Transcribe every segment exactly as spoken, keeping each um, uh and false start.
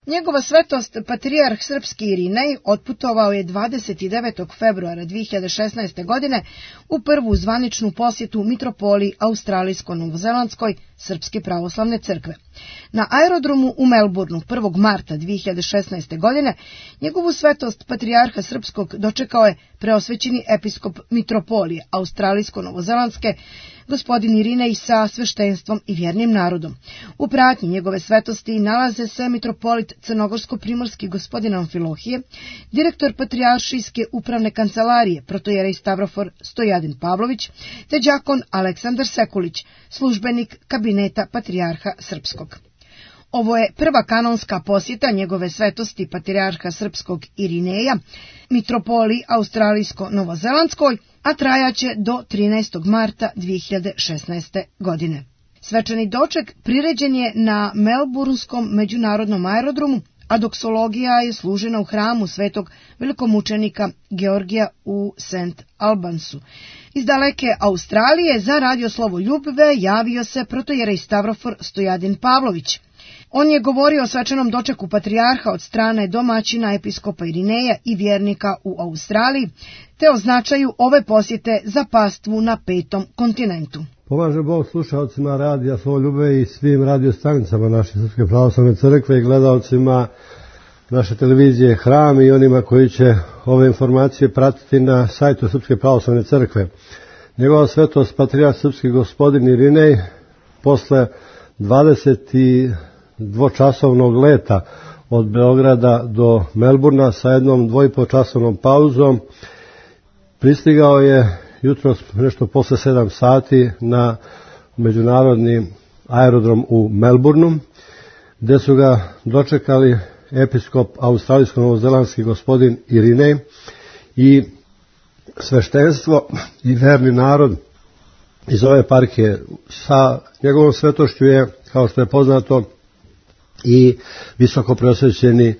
Njegova svetost patrijarh srpski Irinej otputovao je dvadeset devetog februara dve hiljade šesnaeste. godine u prvu zvaničnu posjetu mitropoliji Australijsko-Novozelandskoj Srpske pravoslavne crkve. Na aerodromu u Melbourneu prvog marta dve hiljade šesnaeste. godine njegovu svetost patrijarha srpskog dočekao je preosvećeni episkop mitropolije Australijsko-Novozelandske gospodin Irinej sa sveštenstvom i vjernim narodom. U pratnji njegove svetosti nalaze se mitropolit crnogorsko-primorski gospodin Amfilohije, direktor patrijaršijske upravne kancelarije protojerej Stavrofor Stojadin Pavlović, te đakon Aleksandar Sekulić, službenik kabineta patrijarha srpskog. Ovo je prva kanonska posjeta njegove svetosti patrijarha srpskog Irineja, mitropoliji Australijsko-Novozelandskoj, a trajaće do trinaestog marta dve hiljade šesnaeste. godine. Svečani doček priređen je na Melburnskom međunarodnom aerodromu, a doksologija je služena u hramu svetog velikomučenika Georgija u Saint Albansu. Iz daleke Australije za Radio Slovo Ljubve javio se protojerej Stavrofor Stojadin Pavlović. On je govorio o svečanom dočeku patrijarha od strane domaćina episkopa Irineja i vjernika u Australiji, te o značaju ove posjete za pastvu na petom kontinentu. Pomaže Bog slušalcima Radija Slovo Ljubve i svim radiostanicama naše Srpske pravoslavne crkve i gledalcima naše televizije Hram i onima koji će ove informacije pratiti na sajtu Srpske pravoslavne crkve. Njegova svetost patrijarh srpski gospodin Irinej posle dvadeset dvočasovnog leta od Beograda do Melburna sa jednom dvoipočasovnom pauzom pristigao je jutros nešto posle sedam sati na međunarodni aerodrom u Melbourneu, gde su ga dočekali episkop australijsko-novozelandski gospodin Irinej i sveštenstvo i verni narod iz ove eparhije. Sa njegovom svetošću je, kao što je poznato, i visoko preosvećeni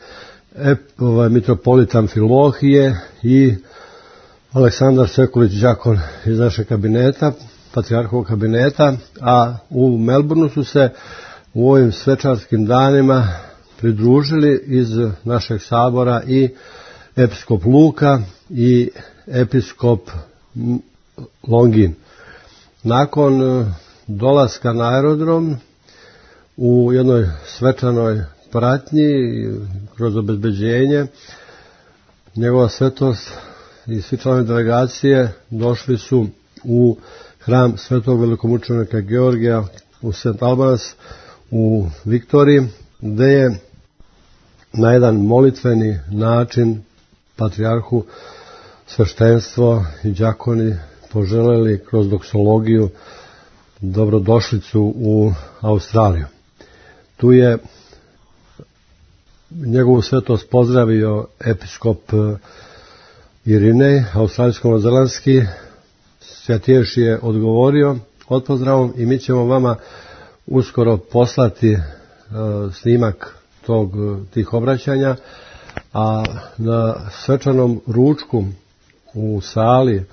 ovaj, mitropolit Amfilohije i Aleksandar Sekulić, đakon iz našeg kabineta, patrijarhovog kabineta, a u Melbourneu su se u ovim svečarskim danima pridružili iz našeg sabora i episkop Luka i episkop Longin. Nakon dolaska na aerodrom u jednoj svečanoj pratnji kroz obezbeđenje, njegova svetost i svi članovi delegacije došli su u hram svetog velikomučenika Georgija u Saint Albans u Viktoriji, gde je na jedan molitveni način patrijarhu sveštenstvo i đakoni poželeli kroz doksologiju dobrodošlicu u Australiju. Tu je njegovu svetost pozdravio episkop Irinej, australijsko-novozelandski. Svjatiješ je odgovorio odpozdravom i mi ćemo vama uskoro poslati uh, snimak tog, tih obraćanja, a na svečanom ručku u sali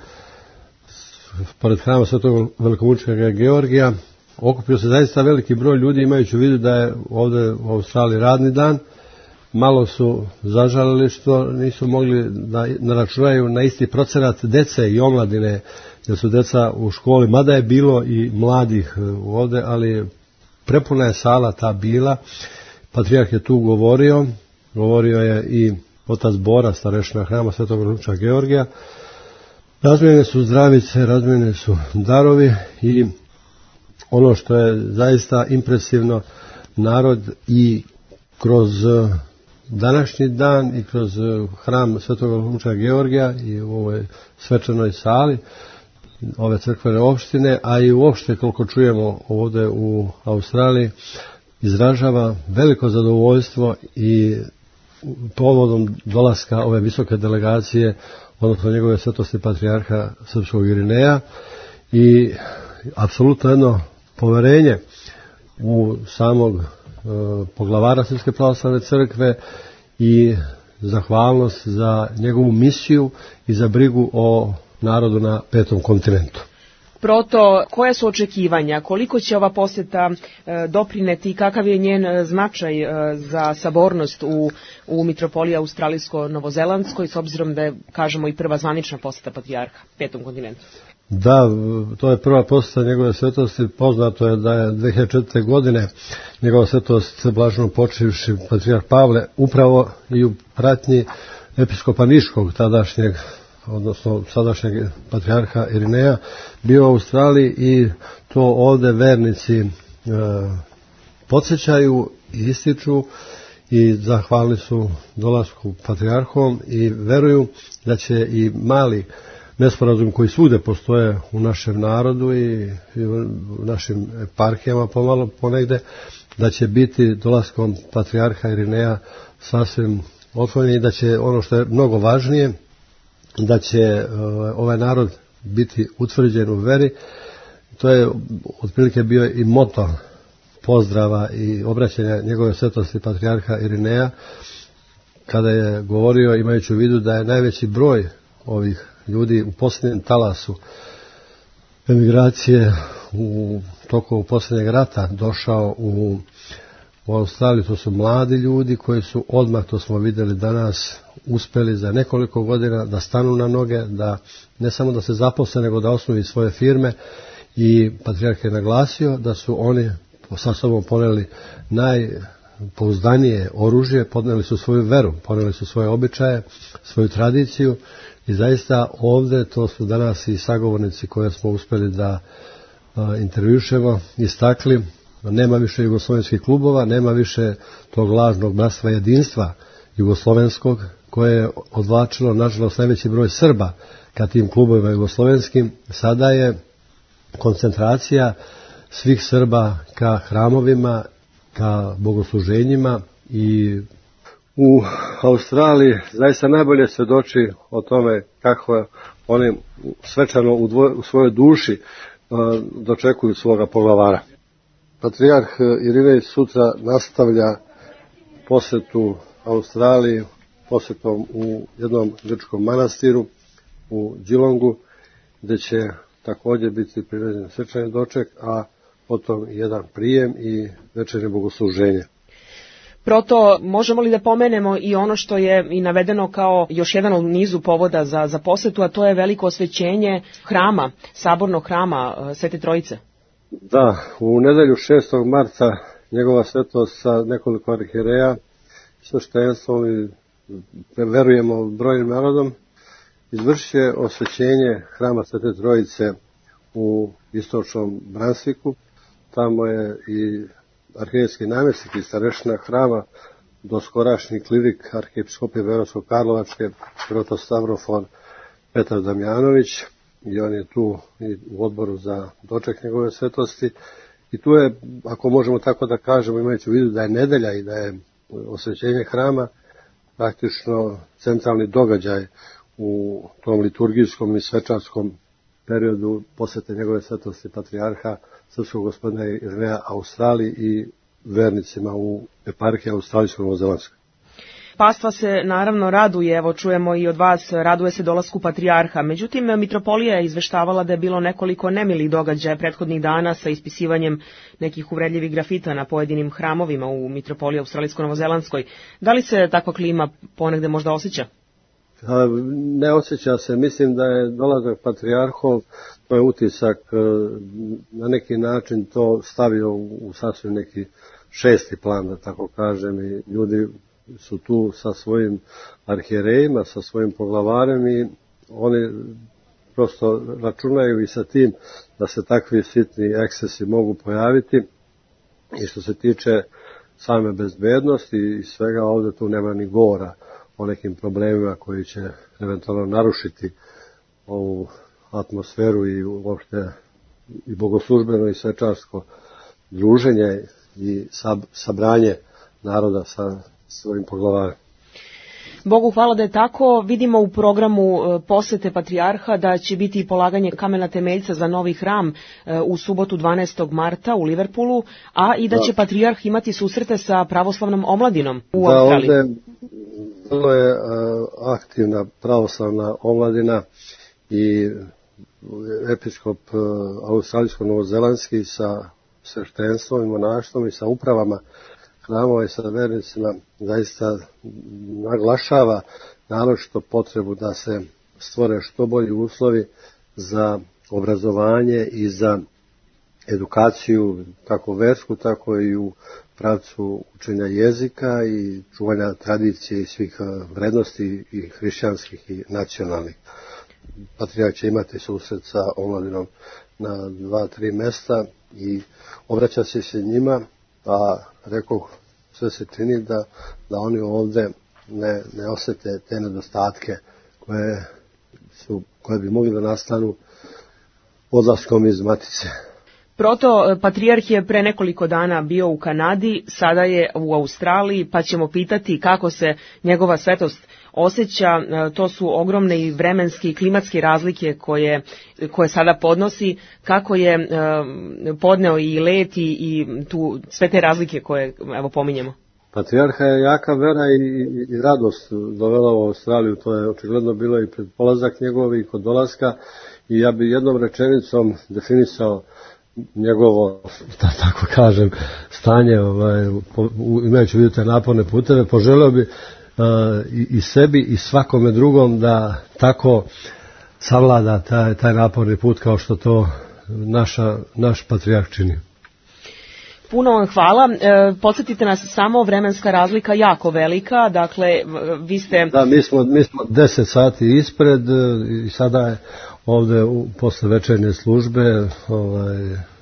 pored hrama svetog velikomučenika Georgija okupio se zaista veliki broj ljudi, imajući u vidu da je ovdje u Australiji radni dan. Malo su zažalili što nisu mogli da naračunaju na isti procenat dece i omladine, jer su deca u školi, mada je bilo i mladih ovdje, ali prepuna je sala ta bila. Patrijarh je tu govorio, govorio je i otac Bora, starešina hrama svetog velikomučenika Georgija. Razmijene su zdravice, razmijene su darovi i ono što je zaista impresivno, narod i kroz današnji dan i kroz hram svetog velikomučenika Georgija i u ovoj svečanoj sali ove crkvene opštine, a i uopšte koliko čujemo ovdje u Australiji, izražava veliko zadovoljstvo i povodom dolaska ove visoke delegacije, odnosno njegove svetosti patrijarha srpskog Irineja, i apsolutno jedno poverenje u samog e, poglavara Srpske pravoslavne crkve i zahvalnost za njegovu misiju i za brigu o narodu na petom kontinentu. Proto, koja su očekivanja, koliko će ova posjeta e, doprineti i kakav je njen značaj e, za sabornost u, u mitropoliji australijsko-novozelandskoj, s obzirom da je, kažemo, i prva zvanična posjeta patrijarha petom kontinentu? Da, to je prva posjeta njegove svetosti. Poznato je da je dve hiljade četvrte. godine njegova svetost blaženo počivši patrijarh Pavle upravo i u pratnji episkopa Niškog, tadašnjeg, odnosno sadašnjeg patrijarha Irineja, bio u Australiji i to ovde vernici e, podsjećaju i ističu i zahvalni su dolasku patrijarhom i veruju da će i mali nesporazum koji svude postoje u našem narodu i u našim eparhijama pomalo ponegde, da će biti dolaskom patrijarha Irineja sasvim otklonjen i da će, ono što je mnogo važnije, da će ovaj narod biti utvrđen u veri. To je otprilike bio i moto pozdrava i obraćanja njegove svetosti patrijarha Irineja, kada je govorio, imajući u vidu da je najveći broj ovih ljudi u posljednjem talasu emigracije u toku posljednjeg rata došao u, u Australiju. To su mladi ljudi koji su odmah, to smo vidjeli danas, uspeli za nekoliko godina da stanu na noge, da ne samo da se zaposle, nego da osnuju svoje firme, i patrijarh je naglasio da su oni sa sobom poneli najpouzdanije oružje, poneli su svoju veru, poneli su svoje običaje, svoju tradiciju. I zaista ovdje, to su danas i sagovornici koje smo uspjeli da a, intervjušemo, istakli, nema više jugoslovenskih klubova, nema više tog lažnog bratstva jedinstva jugoslovenskog, koje je odvlačilo, nažalost, najveći broj Srba ka tim klubovima jugoslovenskim. Sada je koncentracija svih Srba ka hramovima, ka bogosluženjima, i u Australiji zaista najbolje svjedoči o tome kako oni svečano u, dvoj, u svojoj duši uh, dočekuju svoga poglavara. Patrijarh Irinej sutra nastavlja posjetu Australiji posjetom u jednom grčkom manastiru u Geelongu, gdje će također biti priređen svečani doček, a potom jedan prijem i večernje bogosluženje. Proto, možemo li da pomenemo i ono što je i navedeno kao još jedan od nizu povoda za, za posjetu, a to je veliko osvećenje hrama, sabornog hrama Svete Trojice? Da, u nedelju šestog marta njegova svetost sa nekoliko arhijereja, sveštenstvom i verujemo brojnim narodom, izvršit će osvećenje hrama Svete Trojice u istočnom Bransviku. Tamo je i arhijerejski namjesnik i starešina hrama, doskorašnji klirik arhijepiskopije Beogradsko-Karlovačke, protostavrofon Petar Damjanović, i on je tu i u odboru za doček njegove svetosti. I tu je, ako možemo tako da kažemo, imajući u vidu da je nedelja i da je osvećenje hrama praktično centralni događaj u tom liturgijskom i svečarskom periodu posjete njegove svetosti patrijarha srpskog gospodina Irineja Australiji i vernicima u eparhiji australijsko-novozelandskoj. Pastva se naravno raduje, evo čujemo i od vas, raduje se dolasku patrijarha. Međutim, mitropolija je izveštavala da je bilo nekoliko nemilih događaja prethodnih dana sa ispisivanjem nekih uvredljivih grafita na pojedinim hramovima u mitropoliji australijsko-novozelandskoj. Da li se takva klima ponegde možda osjeća? Ne osjeća se, mislim da je dolazak patrijarhov, to je utisak, na neki način to stavio u sasvim neki šesti plan, da tako kažem, i ljudi su tu sa svojim arhijerejima, sa svojim poglavarem, i oni prosto računaju i sa tim da se takvi sitni ekscesi mogu pojaviti. I što se tiče same bezbednosti i svega, ovdje tu nema ni govora o nekim problemima koji će eventualno narušiti ovu atmosferu i uopšte i bogoslužbeno i svečarsko druženje i sab, sabranje naroda sa svojim poglavarem. Bogu hvala da je tako. Vidimo u programu posete patrijarha da će biti i polaganje kamena temeljca za novi hram u subotu dvanaestog marta u Liverpoolu, a i da će patrijarh imati susrete sa pravoslavnom omladinom u da, Australiji. Da, ovdje vrlo je aktivna pravoslavna omladina i episkop australijsko-novozelandski sa sveštenstvom i monaštvom i sa upravama hramova i sa vernicima zaista naglašava naročito potrebu da se stvore što bolji uslovi za obrazovanje i za edukaciju kako versku, tako i u pravcu učenja jezika i čuvanja tradicije i svih vrednosti i hrišćanskih i nacionalnih. Patrijarh će imati susret sa omladinom na dva, tri mesta i obraća se se njima, a rekao sve se čini da, da oni ovde ne, ne osete te nedostatke koje, su, koje bi mogli da nastanu odlaskom iz Matice. Proto patrijarh je pre nekoliko dana bio u Kanadi, sada je u Australiji, pa ćemo pitati kako se njegova svetost osjeća. To su ogromne i vremenske i klimatske razlike koje, koje sada podnosi, kako je podneo i let i, i tu, sve te razlike koje evo pominjemo. Patrijarha je jaka vera i, i, i radost dovela u Australiju, to je očigledno bilo i pred polazak njegov i kod dolaska, i ja bi jednom rečenicom definisao njegovo, da tako kažem, stanje, ovaj, imajući vidu te naporne puteve, poželeo bi uh, i, i sebi i svakome drugom da tako savlada taj, taj naporni put kao što to naša, naš patrijarh čini. Puno vam hvala. E, podsjetite nas samo, vremenska razlika jako velika, dakle, vi ste... Da, mi smo, mi smo deset sati ispred i sada je ovde u, posle večernje službe ovaj,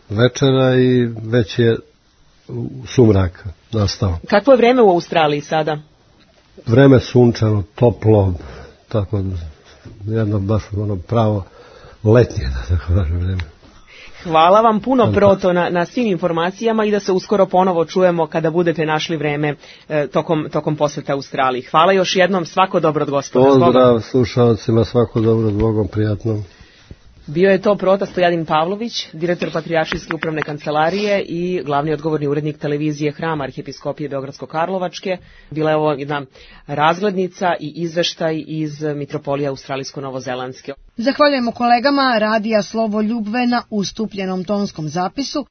večera i već je sumrak nastao. Kakvo je vreme u Australiji sada? Vreme sunčano, toplo, tako jedno baš ono pravo letnje, da tako kažem, vreme. Hvala vam puno, Proto, na, na svim informacijama i da se uskoro ponovo čujemo kada budete našli vreme e, tokom, tokom poseta Australiji. Hvala još jednom, svako dobro od Gospoda. Pozdrav slušalcima, svako dobro od Bogom, prijatno. Bio je to Prota Stojadin Pavlović, direktor Patrijaršijske upravne kancelarije i glavni odgovorni urednik televizije Hrama Arhijepiskopije Beogradsko-Karlovačke. Bila je ovo jedna razglednica i izveštaj iz Mitropolije Australijsko-Novozelandske. Zahvaljujemo kolegama Radija Slovo Ljubve na ustupljenom tonskom zapisu.